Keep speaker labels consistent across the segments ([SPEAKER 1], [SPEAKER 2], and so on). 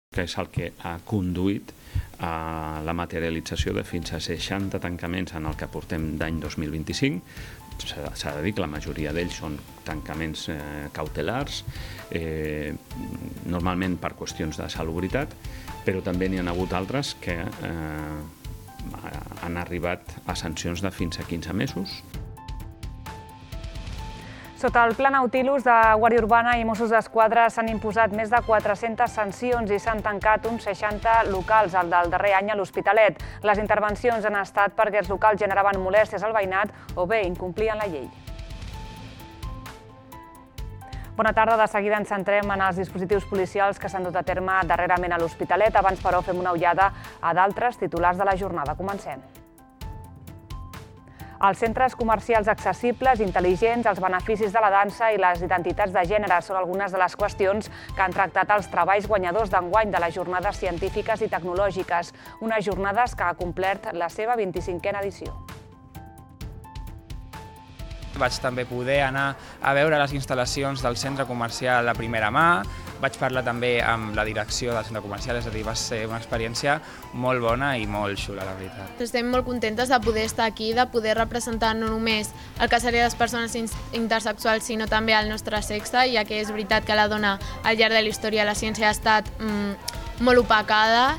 [SPEAKER 1] que és el que ha conduït a la materialització de fins a 60 tancaments en el que portem d'any 2025. S'ha de dir que la majoria d'ells són tancaments cautelars, normalment per qüestions de salubritat, però també n'hi ha hagut altres que han arribat a sancions de fins a 15 mesos.
[SPEAKER 2] Sota el Pla Nautilus de Guàrdia Urbana i Mossos d'Esquadra s'han imposat més de 400 sancions i s'han tancat uns 60 locals al del darrer any a l'Hospitalet. Les intervencions han estat perquè els locals generaven molèsties al veïnat o bé incomplien la llei. Bona tarda, de seguida ens centrem en els dispositius policials que s'han dut a terme darrerament a l'Hospitalet. Abans, però, fem una ullada a d'altres titulars de la jornada. Comencem. Els centres comercials accessibles, intel·ligents, els beneficis de la dansa i les identitats de gènere són algunes de les qüestions que han tractat els treballs guanyadors d'enguany de les jornades científiques i tecnològiques, unes jornades que ha complert la seva 25a edició.
[SPEAKER 3] Vaig també poder anar a veure les instal·lacions del centre comercial a primera mà, vaig parlar també amb la direcció del centre comercial, és a dir, va ser una experiència molt bona i molt xula, la veritat.
[SPEAKER 4] Estem molt contentes de poder estar aquí, de poder representar no només el que serien les persones intersexuals, sinó també el nostre sexe, ja que és veritat que la dona al llarg de la història la ciència ha estat molt opacada.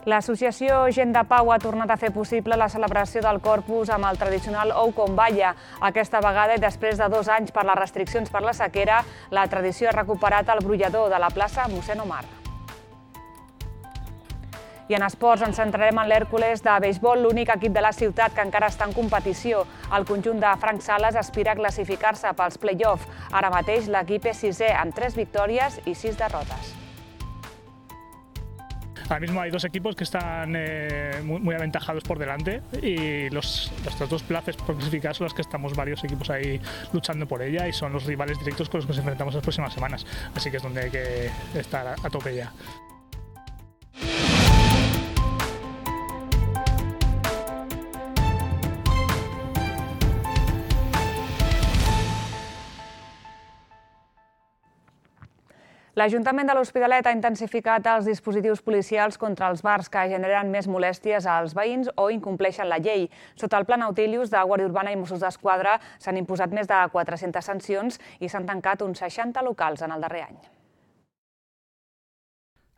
[SPEAKER 2] L'associació Gent de Pau ha tornat a fer possible la celebració del Corpus amb el tradicional ou con balla. Aquesta vegada, i després de 2 anys per les restriccions per la sequera, la tradició ha recuperat el brollador de la plaça Mossèn Omar. I en esports ens centrarem en l'Hèrcules de beisbol, l'únic equip de la ciutat que encara està en competició. El conjunt de Frank Sales aspira a classificar-se pels play-off. Ara mateix l'equip és 6è amb 3 victòries i 6 derrotes.
[SPEAKER 5] Ahora mismo hay 2 equipos que están muy aventajados por delante y las 2 plazas por clasificar son las que estamos varios equipos ahí luchando por ella y son los rivales directos con los que nos enfrentamos las próximas semanas. Así que es donde hay que estar a tope ya.
[SPEAKER 2] L'Ajuntament de l'Hospitalet ha intensificat els dispositius policials contra els bars que generen més molèsties als veïns o incompleixen la llei. Sota el Pla Nautilus de Guàrdia Urbana i Mossos d'Esquadra s'han imposat més de 400 sancions i s'han tancat uns 60 locals en el darrer any.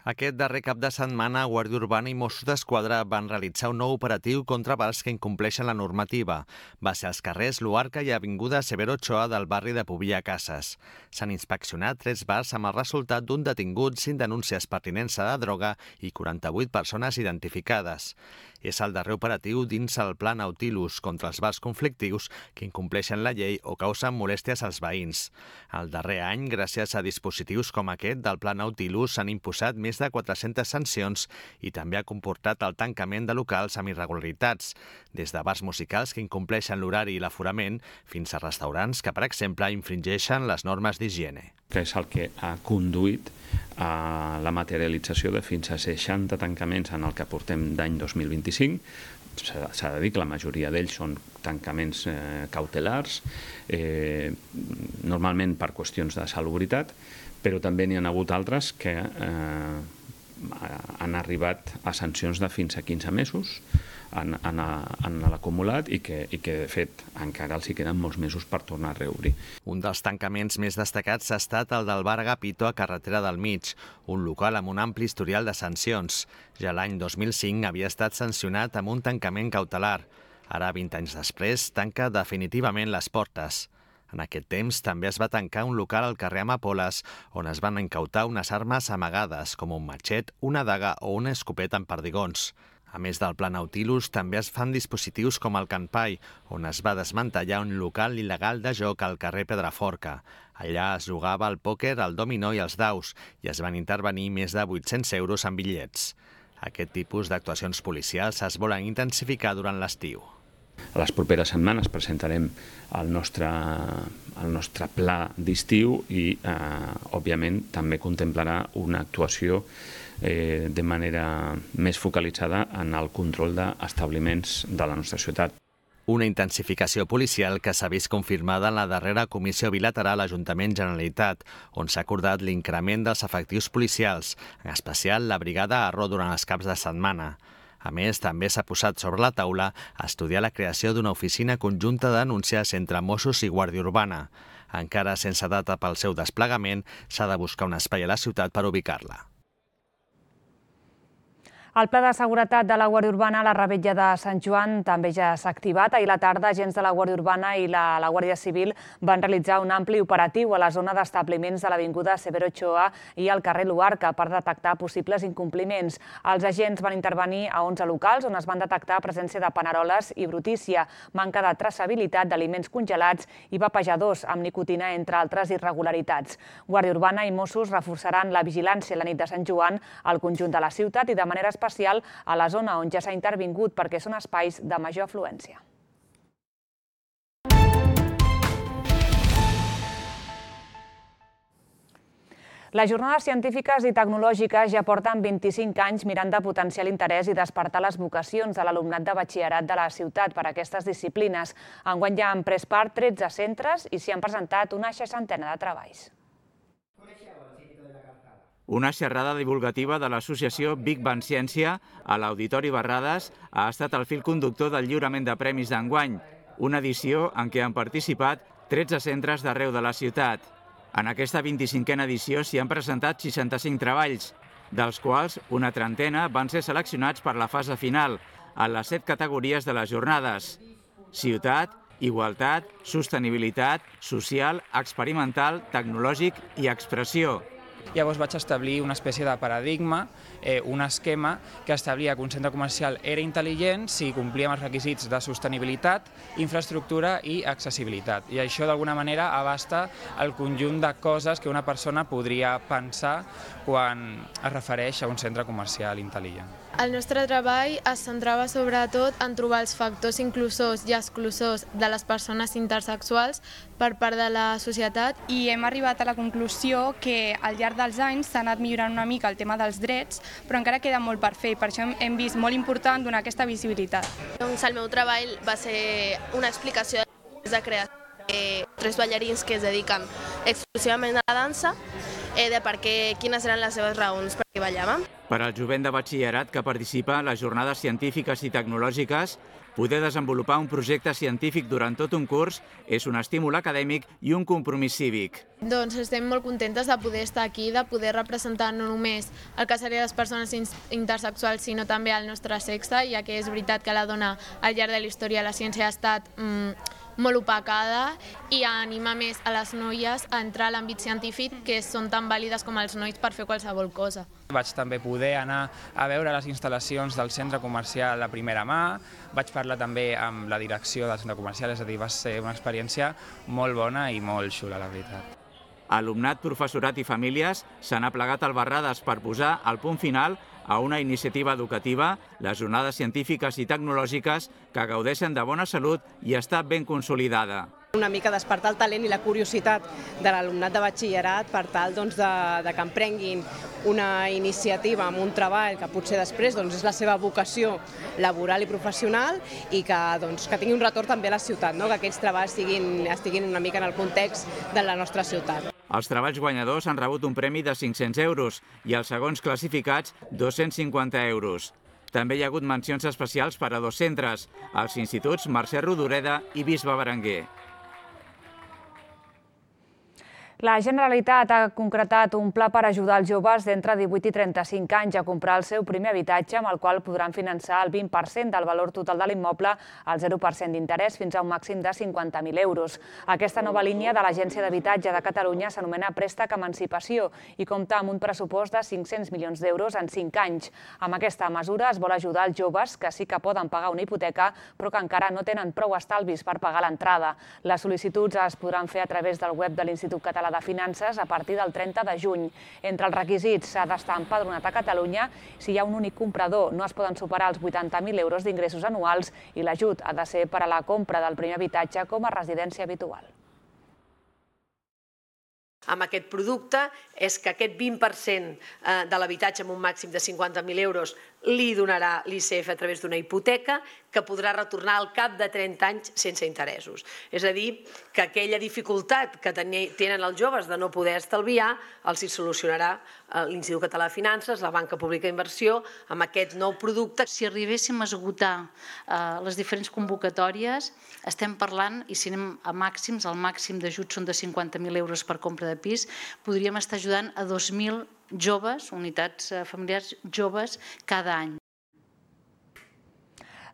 [SPEAKER 6] Aquest darrer cap de setmana, Guàrdia Urbana i Mossos d'Esquadra van realitzar un nou operatiu contra bars que incompleixen la normativa. Va ser als carrers Luarca i Avinguda Severo Ochoa del barri de Pobilla Cases. S'han inspeccionat 3 bars amb el resultat d'un detingut, 5 denúncies per tinença de droga i 48 persones identificades. És el darrer operatiu dins el Pla Nautilus contra els bars conflictius que incompleixen la llei o causen molèsties als veïns. El darrer any, gràcies a dispositius com aquest del Pla Nautilus, s'han imposat més de 400 sancions i també ha comportat el tancament de locals amb irregularitats, des de bars musicals que incompleixen l'horari i l'aforament fins a restaurants que, per exemple, infringeixen les normes d'higiene.
[SPEAKER 1] Que és el que ha conduït a la materialització de fins a 60 tancaments en el que portem d'any 2025. S'ha de dir que la majoria d'ells són tancaments cautelars, normalment per qüestions de salubritat, però també n'hi ha hagut altres que han arribat a sancions de fins a 15 mesos en l'acumulat i que, de fet, encara els hi queden molts mesos per tornar a reobrir.
[SPEAKER 6] Un dels tancaments més destacats ha estat el del bar Agapito a Carretera del Mig, un local amb un ampli historial de sancions. Ja l'any 2005 havia estat sancionat amb un tancament cautelar. Ara, 20 anys després, tanca definitivament les portes. En aquest temps també es va tancar un local al carrer Amapoles on es van incautar unes armes amagades, com un matxet, una daga o una escopeta amb perdigons. A més del Pla Nautilus, també es fan dispositius com el Canpai, on es va desmantellar un local il·legal de joc al carrer Pedraforca. Allà es jugava al pòquer, al dominó i als daus, i es van intervenir més de 800 euros en bitllets. Aquest tipus d'actuacions policials es volen intensificar durant l'estiu.
[SPEAKER 1] A les properes setmanes presentarem el nostre pla d'estiu i, òbviament, també contemplarà una actuació de manera més focalitzada en el control d'establiments de la nostra ciutat.
[SPEAKER 6] Una intensificació policial que s'ha vist confirmada en la darrera comissió bilateral Ajuntament-Generalitat, on s'ha acordat l'increment dels efectius policials, en especial la brigada Arro durant els caps de setmana. A més, també s'ha posat sobre la taula estudiar la creació d'una oficina conjunta de denúncies entre Mossos i Guàrdia Urbana. Encara sense data pel seu desplegament, s'ha de buscar un espai a la ciutat per ubicar-la.
[SPEAKER 2] El Pla de Seguretat de la Guàrdia Urbana a la Revetlla de Sant Joan també ja s'ha activat. Ahir a la tarda, agents de la Guàrdia Urbana i la Guàrdia Civil van realitzar un ampli operatiu a la zona d'establiments de l'avinguda Severo Ochoa i al carrer Luarca per detectar possibles incompliments. Els agents van intervenir a 11 locals on es van detectar presència de paneroles i brutícia, manca de traçabilitat d'aliments congelats i vapejadors amb nicotina, entre altres irregularitats. Guàrdia Urbana i Mossos reforçaran la vigilància la nit de Sant Joan al conjunt de la ciutat i de manera especial a la zona on ja s'ha intervingut perquè són espais de major afluència. Les jornades científiques i tecnològiques ja porten 25 anys mirant de potenciar l'interès i despertar les vocacions de l'alumnat de batxillerat de la ciutat per a aquestes disciplines. Enguany ja han pres part 13 centres i s'hi han presentat una 60ena de treballs.
[SPEAKER 7] Una xerrada divulgativa de l'associació Big Bang Ciència a l'Auditori Barrades ha estat el fil conductor del lliurament de premis d'enguany, una edició en què han participat 13 centres d'arreu de la ciutat. En aquesta 25a edició s'hi han presentat 65 treballs, dels quals una trentena van ser seleccionats per la fase final, en les 7 categories de les jornades: ciutat, igualtat, sostenibilitat, social, experimental, tecnològic i expressió.
[SPEAKER 3] Llavors vaig establir una espècie de paradigma, un esquema que establia que un centre comercial era intel·ligent si complia amb els requisits de sostenibilitat, infraestructura i accessibilitat. I això d'alguna manera abasta el conjunt de coses que una persona podria pensar quan es refereix a un centre comercial intel·ligent.
[SPEAKER 4] El nostre treball es centrava sobretot en trobar els factors inclusors i exclusors de les persones intersexuals per part de la societat.
[SPEAKER 8] I hem arribat a la conclusió que al llarg dels anys s'ha anat millorant una mica el tema dels drets, però encara queda molt per fer i per això hem vist molt important donar aquesta visibilitat.
[SPEAKER 9] Doncs el meu treball va ser una explicació de creació de 3 ballarins que es dediquen exclusivament a la dansa, de per què, quines eren les seves raons per què ballaven.
[SPEAKER 7] Per al jovent de batxillerat que participa en les jornades científiques i tecnològiques, poder desenvolupar un projecte científic durant tot un curs és un estímul acadèmic i un compromís cívic.
[SPEAKER 4] Doncs estem molt contentes de poder estar aquí, de poder representar no només el que seria les persones intersexuals, sinó també el nostre sexe, ja que és veritat que la dona al llarg de la història de la ciència ha estat molt opacada i anima més a les noies a entrar a l'àmbit científic, que són tan vàlides com els nois per fer qualsevol cosa.
[SPEAKER 3] Vaig també poder anar a veure les instal·lacions del centre comercial a primera mà, vaig parlar també amb la direcció del centre comercial, és a dir, va ser una experiència molt bona i molt xula, la veritat.
[SPEAKER 7] Alumnat, professorat i famílies s'han aplegat al Barrades per posar el punt final a una iniciativa educativa, les jornades científiques i tecnològiques que gaudeixen de bona salut i està ben consolidada.
[SPEAKER 10] Una mica despertar el talent i la curiositat de l'alumnat de batxillerat per tal de que emprenguin una iniciativa amb un treball que potser després és la seva vocació laboral i professional i que tingui un retorn també a la ciutat, que aquests treballs estiguin una mica en el context de la nostra ciutat.
[SPEAKER 7] Els treballs guanyadors han rebut un premi de 500 euros i els segons classificats 250 euros. També hi ha hagut mencions especials per a 2 centres, els instituts Mercè Rodoreda i Bisbe Berenguer.
[SPEAKER 2] La Generalitat ha concretat un pla per ajudar els joves d'entre 18 i 35 anys a comprar el seu primer habitatge, amb el qual podran finançar el 20% del valor total de l'immoble al 0% d'interès fins a un màxim de 50.000 euros. Aquesta nova línia de l'Agència d'Habitatge de Catalunya s'anomena Préstec Emancipació i compta amb un pressupost de 500 milions d'euros en 5 anys. Amb aquesta mesura es vol ajudar els joves que sí que poden pagar una hipoteca, però que encara no tenen prou estalvis per pagar l'entrada. Les sol·licituds es podran fer a través del web de l'Institut Català de Finances a partir del 30 de juny. Entre els requisits s'ha d'estar empadronat a Catalunya. Si hi ha un únic comprador, no es poden superar els 80.000 euros d'ingressos anuals i l'ajut ha de ser per a la compra del primer habitatge com a residència habitual.
[SPEAKER 11] Amb aquest producte és que aquest 20% de l'habitatge amb un màxim de 50.000 euros li donarà l'ICF a través d'una hipoteca que podrà retornar al cap de 30 anys sense interessos. És a dir, que aquella dificultat que tenen els joves de no poder estalviar els hi solucionarà l'Institut Català de Finances, la Banca Pública d'Inversió, amb aquest nou producte.
[SPEAKER 12] Si arribéssim a esgotar les diferents convocatòries, estem parlant, i si anem a màxims, el màxim d'ajuts són de 50.000 euros per compra de pis, podríem estar ajudant a 2.000 joves, unitats familiars joves, cada any.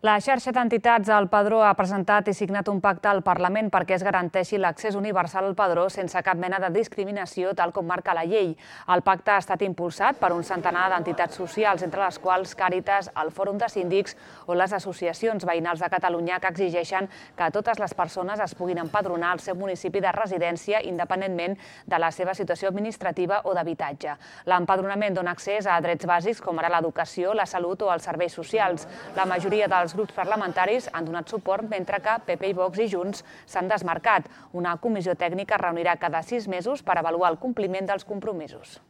[SPEAKER 2] La xarxa d'entitats del Padró ha presentat i signat un pacte al Parlament perquè es garanteixi l'accés universal al Padró sense cap mena de discriminació, tal com marca la llei. El pacte ha estat impulsat per un centenar d'entitats socials, entre les quals Càritas, el Fòrum de Síndics o les associacions veïnals de Catalunya, que exigeixen que totes les persones es puguin empadronar al seu municipi de residència independentment de la seva situació administrativa o d'habitatge. L'empadronament dona accés a drets bàsics com ara l'educació, la salut o els serveis socials. La majoria dels grups parlamentaris han donat suport, mentre que PP i Vox i Junts s'han desmarcat. Una comissió tècnica es reunirà cada 6 mesos per avaluar el compliment dels compromisos.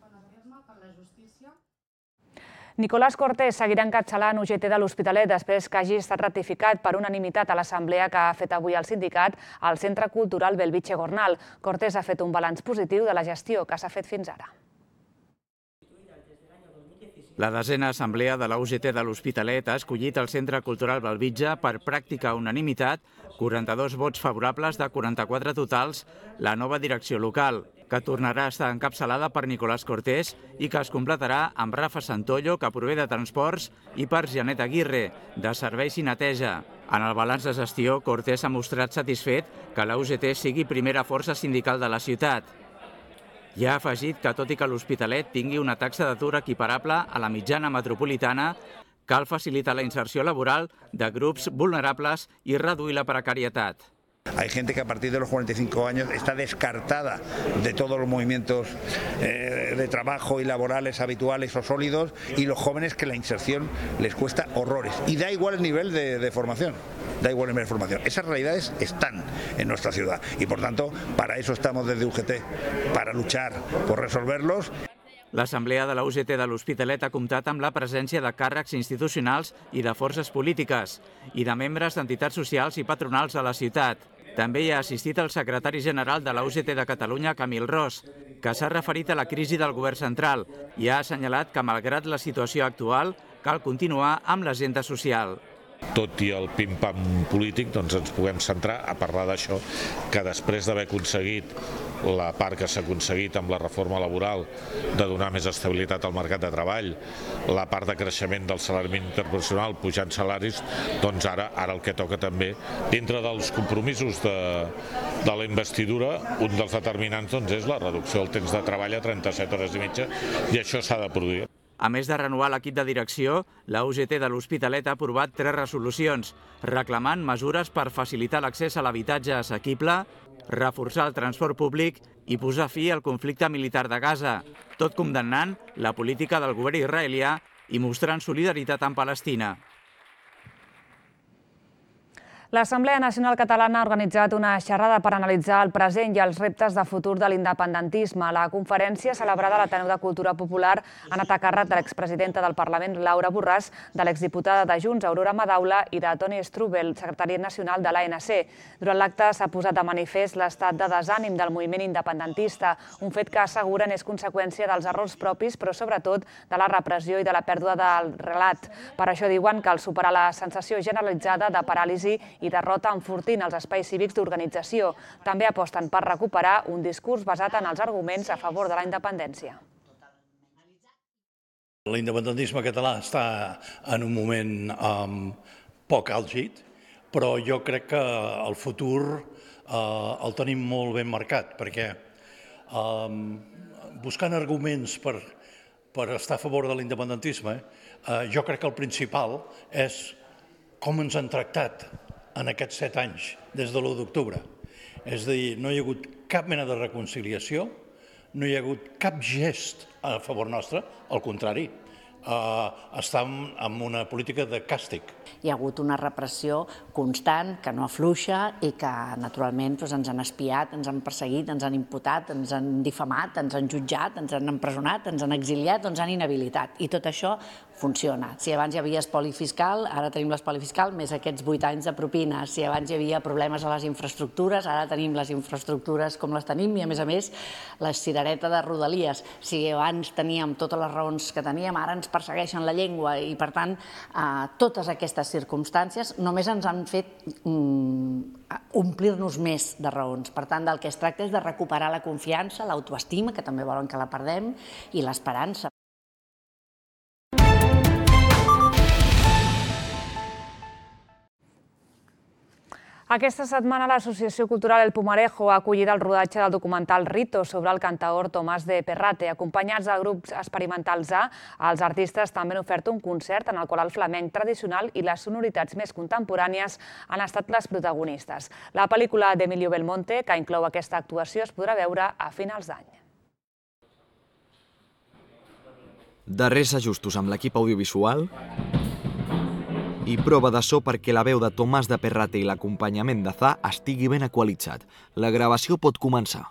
[SPEAKER 2] Nicolás Cortés seguirà encapçalant UGT de l'Hospitalet després que hagi estat ratificat per unanimitat a l'assemblea que ha fet avui el sindicat al Centre Cultural Belvitge Gornal. Cortés ha fet un balanç positiu de la gestió que s'ha fet fins ara.
[SPEAKER 7] La 10a assemblea de la UGT de l'Hospitalet ha escollit el Centre Cultural Belvitge per pràctica unanimitat, 42 vots favorables de 44 totals, la nova direcció local, que tornarà a estar encapçalada per Nicolás Cortés i que es completarà amb Rafa Santollo, que prové de Transports, i per Janet Aguirre, de Serveis i Neteja. En el balanç de gestió, Cortés ha mostrat satisfet que la UGT sigui primera força sindical de la ciutat. I ha afegit que, tot i que l'Hospitalet tingui una taxa d'atur equiparable a la mitjana metropolitana, cal facilitar la inserció laboral de grups vulnerables i reduir la precarietat.
[SPEAKER 13] Hay gente que a partir de los 45 años está descartada de todos los movimientos de trabajo y laborales habituales o sólidos, y los jóvenes que la inserción les cuesta horrores. Y da igual el nivel de formación. Da igual el nivel de formación. Esas realidades están en nuestra ciudad y, por tanto, para eso estamos desde UGT, para luchar por resolverlos.
[SPEAKER 7] L'Assemblea de la UGT de l'Hospitalet ha comptat amb la presència de càrrecs institucionals i de forces polítiques i de membres d'entitats socials i patronals a la ciutat. També hi ha assistit el secretari general de la UGT de Catalunya, Camil Ros, que s'ha referit a la crisi del govern central i ha assenyalat que, malgrat la situació actual, cal continuar amb l'agenda social.
[SPEAKER 14] Tot i el pim-pam polític, doncs ens puguem centrar a parlar d'això, que després d'haver aconseguit la part que s'ha aconseguit amb la reforma laboral de donar més estabilitat al mercat de treball, la part de creixement del salari mínim interprofessional pujant salaris, doncs ara el que toca també, dintre dels compromisos de la investidura, un dels determinants és la reducció del temps de treball a 37 hores i mitja, i això s'ha de produir.
[SPEAKER 7] A més de renovar l'equip de direcció, la UGT de l'Hospitalet ha aprovat 3 resolucions, reclamant mesures per facilitar l'accés a l'habitatge assequible, reforçar el transport públic i posar fi al conflicte militar de Gaza, tot condemnant la política del govern israelià i mostrant solidaritat amb Palestina.
[SPEAKER 2] L'Assemblea Nacional Catalana ha organitzat una xerrada per analitzar el present i els reptes de futur de l'independentisme. La conferència, celebrada a l'Ateneu de Cultura Popular, ha anat a càrrec de l'expresidenta del Parlament, Laura Borràs, de l'exdiputada de Junts, Aurora Madaula, i de Toni Strubel, secretari nacional de l'ANC. Durant l'acte s'ha posat de manifest l'estat de desànim del moviment independentista, un fet que asseguren és conseqüència dels errors propis, però sobretot de la repressió i de la pèrdua del relat. Per això diuen que cal superar la sensació generalitzada de paràlisi i derrota enfortint els espais cívics d'organització. També aposten per recuperar un discurs basat en els arguments a favor de la independència.
[SPEAKER 15] L'independentisme català està en un moment poc àlgid, però jo crec que el futur el tenim molt ben marcat, perquè buscant arguments per estar a favor de l'independentisme, jo crec que el principal és com ens han tractat en aquests 7 anys, des de l'1 d'octubre. És a dir, no hi ha hagut cap mena de reconciliació, no hi ha hagut cap gest a favor nostre, al contrari, estem en una política de càstig.
[SPEAKER 16] Hi ha hagut una repressió constant, que no afluixa i que, naturalment, ens han espiat, ens han perseguit, ens han imputat, ens han difamat, ens han jutjat, ens han empresonat, ens han exiliat o ens han inhabilitat. I tot això funciona. Si abans hi havia espoli fiscal, ara tenim l'espoli fiscal, més aquests 8 anys de propina. Si abans hi havia problemes a les infraestructures, ara tenim les infraestructures com les tenim i, a més, la cirereta de Rodalies. Si abans teníem totes les raons que teníem, ara ens persegueixen la llengua i, per tant, totes aquestes circumstàncies només ens han fet omplir-nos més de raons. Per tant, del que es tracta és de recuperar la confiança, l'autoestima, que també volen que la perdem, i l'esperança.
[SPEAKER 2] Aquesta setmana l'Associació Cultural El Pumarejo ha acollit el rodatge del documental Rito sobre el cantaor Tomàs de Perrate. Acompanyats de grups experimentals A, els artistes també han ofert un concert en el qual el flamenc tradicional i les sonoritats més contemporànies han estat les protagonistes. La pel·lícula d'Emilio Belmonte, que inclou aquesta actuació, es podrà veure a finals d'any.
[SPEAKER 17] Darrers ajustos amb l'equip audiovisual i prova de so perquè la veu de Tomàs de Perrate i l'acompanyament de Za estigui ben equalitzat. La gravació pot començar.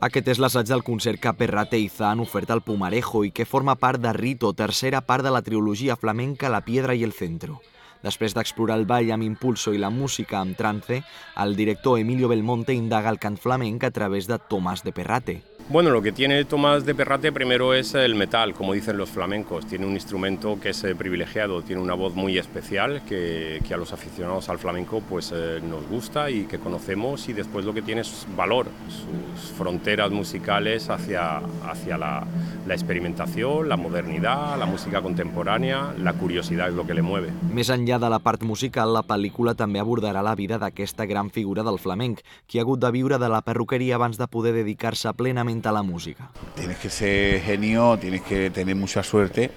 [SPEAKER 17] Aquest és l'assaig del concert que Perrate i Za han ofert al Pumarejo i que forma part de Rito, tercera part de la trilogia flamenca La Piedra y el Centro. Després d'explorar el ball amb impulso i la música amb trance, el director Emilio Belmonte indaga el cant flamenc a través de Tomàs de Perrate.
[SPEAKER 18] Bueno, lo que tiene Tomás de Perrate primero es el metal, como dicen los flamencos. Tiene un instrumento que es privilegiado, tiene una voz muy especial que a los aficionados al flamenco pues nos gusta y que conocemos, y después lo que tiene es valor, sus fronteras musicales hacia la experimentación, la modernidad, la música contemporánea, la curiosidad es lo que le mueve.
[SPEAKER 17] Més enllà de la part musical, la pel·lícula també abordarà la vida d'aquesta gran figura del flamenc, qui ha hagut de viure de la perruqueria abans de poder dedicar-se plenament a la música.
[SPEAKER 13] Tienes que ser genio, tienes que tener mucha suerte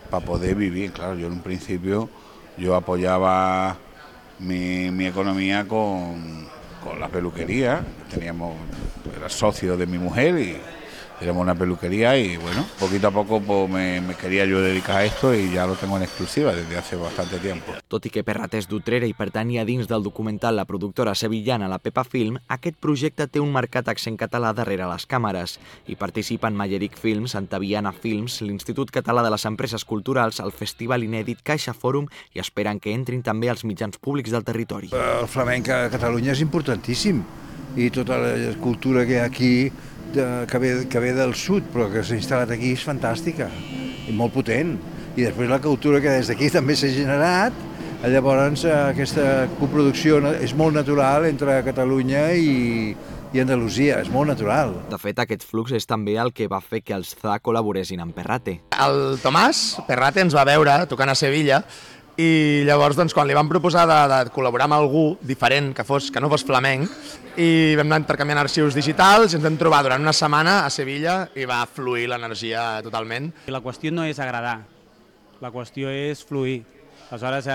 [SPEAKER 13] para poder vivir. Claro, yo en un principio yo apoyaba mi economía con la peluquería. Era socio de mi mujer y éramos una peluquería y bueno, poquito a poco pues, me quería yo dedicar a esto y ya lo tengo en exclusiva desde hace bastante tiempo.
[SPEAKER 17] Tot i que Perrate és d'Utrera i pertanyia dins del documental la productora sevillana La Pepa Film, aquest projecte té un marcat accent català darrere les càmeres i participen Malleric Films, Antaviana Films, l'Institut Català de les Empreses Culturals, el Festival Inèdit Caixa Fòrum i esperen que entrin també els mitjans públics del territori.
[SPEAKER 13] El flamenc a Catalunya és importantíssim i tota la cultura que hi ha aquí que ve del sud, però que s'ha instal·lat aquí és fantàstica i molt potent. I després la cultura que des d'aquí també s'ha generat, llavors aquesta coproducció és molt natural entre Catalunya i Andalusia, és molt natural.
[SPEAKER 17] De fet, aquest flux és també el que va fer que els Za col·laboressin amb Perrate.
[SPEAKER 19] El Tomàs Perrate ens va veure tocant a Sevilla i llavors quan li vam proposar de col·laborar amb algú diferent que no fos flamenc, i vam anar intercanviant arxius digitals i ens vam trobar durant una setmana a Sevilla i va fluir l'energia totalment.
[SPEAKER 20] La qüestió no és agradar, la qüestió és fluir. Aleshores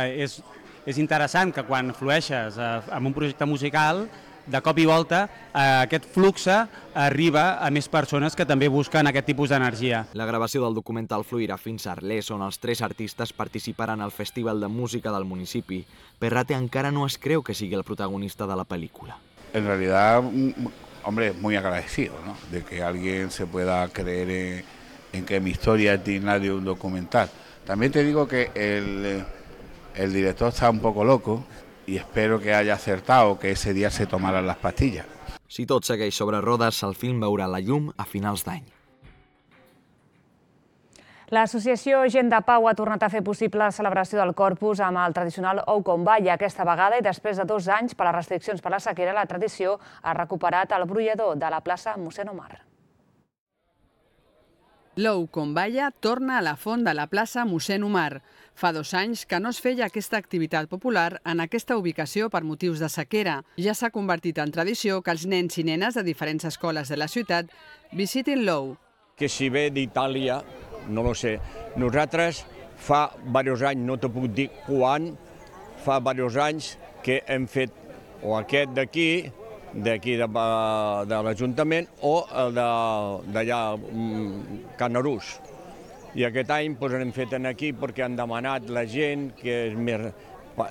[SPEAKER 20] és interessant que quan flueixes amb un projecte musical, de cop i volta aquest flux arriba a més persones que també busquen aquest tipus d'energia.
[SPEAKER 17] La gravació del documental fluirà fins a Arles, on els 3 artistes participaran al Festival de Música del municipi. Perrate encara no es creu que sigui el protagonista de la pel·lícula.
[SPEAKER 13] En realidad, hombre, muy agradecido, ¿no? De que alguien se pueda creer en que mi historia es digna de un documental. También te digo que el director está un poco loco y espero que haya acertado que ese día se tomaran las pastillas.
[SPEAKER 17] Si tot segueix sobre rodes, el film veurà la llum a finals d'any.
[SPEAKER 2] L'associació Gent de Pau ha tornat a fer possible la celebració del Corpus amb el tradicional ou con balla. Aquesta vegada, i després de 2 anys per les restriccions per la sequera, la tradició ha recuperat el brollador de la plaça Mossèn Omar.
[SPEAKER 21] L'ou con balla torna a la font de la plaça Mossèn Omar. Fa 2 anys que no es feia aquesta activitat popular en aquesta ubicació per motius de sequera. Ja s'ha convertit en tradició que els nens i nenes de diferents escoles de la ciutat visitin l'ou.
[SPEAKER 22] Que si ve d'Itàlia, no lo sé. Nosaltres fa diversos anys, no te puc dir quan, fa diversos anys que hem fet o aquest d'aquí de l'Ajuntament o el d'allà, Canarús. I aquest any l'hem fet aquí perquè han demanat la gent que és més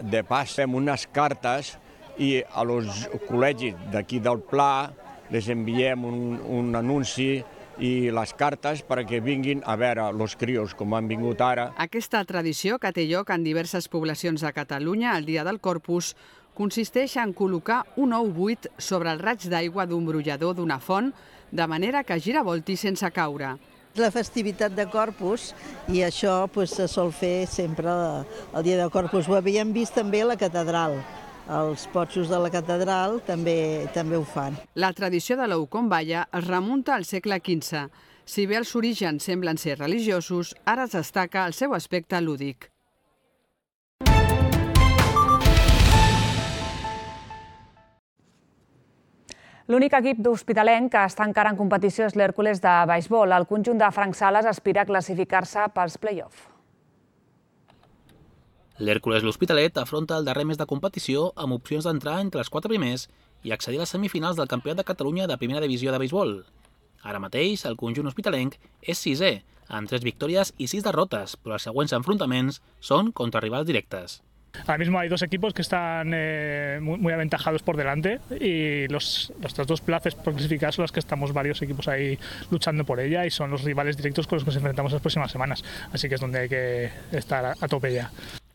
[SPEAKER 22] de pas. Fem unes cartes i als col·legis d'aquí del Pla les enviem un anunci i les cartes perquè vinguin a veure els crios com han vingut ara.
[SPEAKER 21] Aquesta tradició, que té lloc en diverses poblacions de Catalunya el dia del Corpus, consisteix en col·locar un ou buit sobre el raig d'aigua d'un brollador d'una font, de manera que giravolti sense caure.
[SPEAKER 1] La festivitat de Corpus, i això se sol fer sempre el dia de Corpus. Ho havíem vist també a la catedral. Els potxos de la catedral també ho fan.
[SPEAKER 21] La tradició de l'ou com balla es remunta al segle XV. Si bé els orígens semblen ser religiosos, ara es destaca el seu aspecte lúdic.
[SPEAKER 2] L'únic equip d'Hospitalenc que està encara en competició és l'Hèrcules de beisbol. El conjunt de Frank Sales aspira a classificar-se pels play-off.
[SPEAKER 5] L'Hèrcules l'Hospitalet afronta el darrer mes de competició amb opcions d'entrar entre els 4 primers i accedir a les semifinals del Campionat de Catalunya de Primera Divisió de Beisbol. Ara mateix, el conjunt hospitalenc és 6è, amb 3 victòries i 6 derrotes, però els següents enfrontaments són contra rivals directes.
[SPEAKER 23] Ahora mismo hay 2 equipos que están muy aventajados por delante y los otras 2 plazas por clasificar son las que estamos varios equipos ahí luchando por ella y son los rivales directos con los que nos enfrentamos las próximas semanas. Así que es donde hay que estar a tope ya.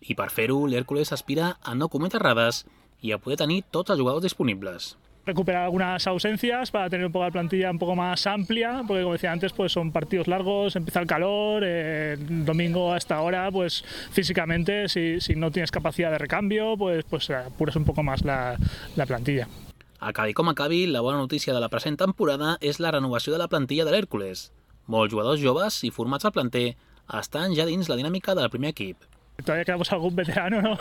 [SPEAKER 5] I per fer-ho, l'Hèrcules aspira a no cometre errades i a poder tenir tots els jugadors disponibles.
[SPEAKER 23] Recuperar algunas ausencias para tener un poco la plantilla un poco más amplia, porque como decía antes, pues son partidos largos, empieza el calor, el domingo a esta hora, pues físicamente, si no tienes capacidad de recambio, pues apuras un poco más la plantilla.
[SPEAKER 5] Acabi com acabi, la bona notícia de la present temporada és la renovació de la plantilla de l'Hèrcules. Molts jugadors joves i formats al planter estan ja dins la dinàmica del primer equip.
[SPEAKER 23] Todavía quedamos algún veterano, ¿no?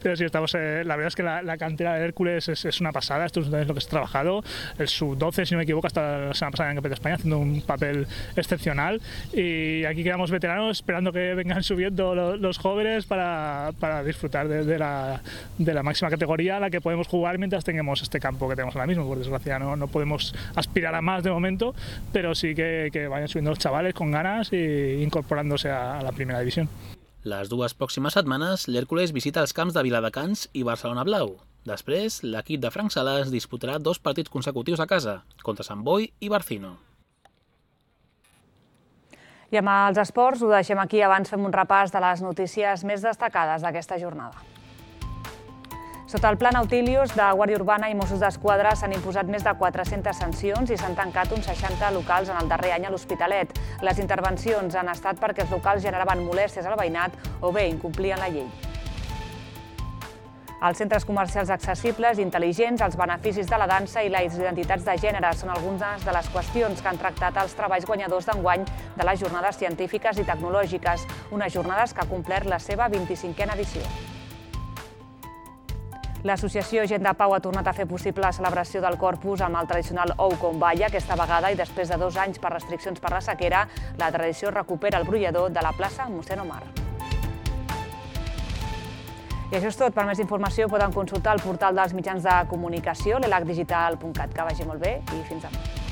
[SPEAKER 23] Pero sí, estamos. La verdad es que la cantera de Hércules es una pasada. Esto es lo que se ha trabajado. El sub-12, si no me equivoco, hasta la semana pasada en el Campeonato de España, haciendo un papel excepcional. Y aquí quedamos veteranos esperando que vengan subiendo los jóvenes para disfrutar de la máxima categoría a la que podemos jugar mientras tengamos este campo que tenemos ahora mismo. Por desgracia, no podemos aspirar a más de momento, pero sí que vayan subiendo los chavales con ganas e incorporándose a la primera división.
[SPEAKER 5] Les 2 pròximes setmanes, l'Hèrcules visita els camps de Viladecans i Barcelona Blau. Després, l'equip de Frank Sales disputarà 2 partits consecutius a casa, contra Sant Boi i Barcino.
[SPEAKER 2] I amb els esports ho deixem aquí. Abans fem un repàs de les notícies més destacades d'aquesta jornada. Sota el Pla Nautilus de Guàrdia Urbana i Mossos d'Esquadra s'han imposat més de 400 sancions i s'han tancat uns 60 locals en el darrer any a l'Hospitalet. Les intervencions han estat perquè els locals generaven molèsties al veïnat o bé incomplien la llei. Els centres comercials accessibles i intel·ligents, els beneficis de la dansa i les identitats de gènere són algunes de les qüestions que han tractat els treballs guanyadors d'enguany de les jornades científiques i tecnològiques, unes jornades que ha complert la seva 25a edició. L'associació Gent de Pau ha tornat a fer possible la celebració del Corpus amb el tradicional ou com balla. Aquesta vegada, i després de 2 anys per restriccions per la sequera, la tradició recupera el brollador de la plaça Mossèn Omar. I això és tot. Per més informació poden consultar el portal dels mitjans de comunicació, l'elacdigital.cat. Que vagi molt bé i fins demà.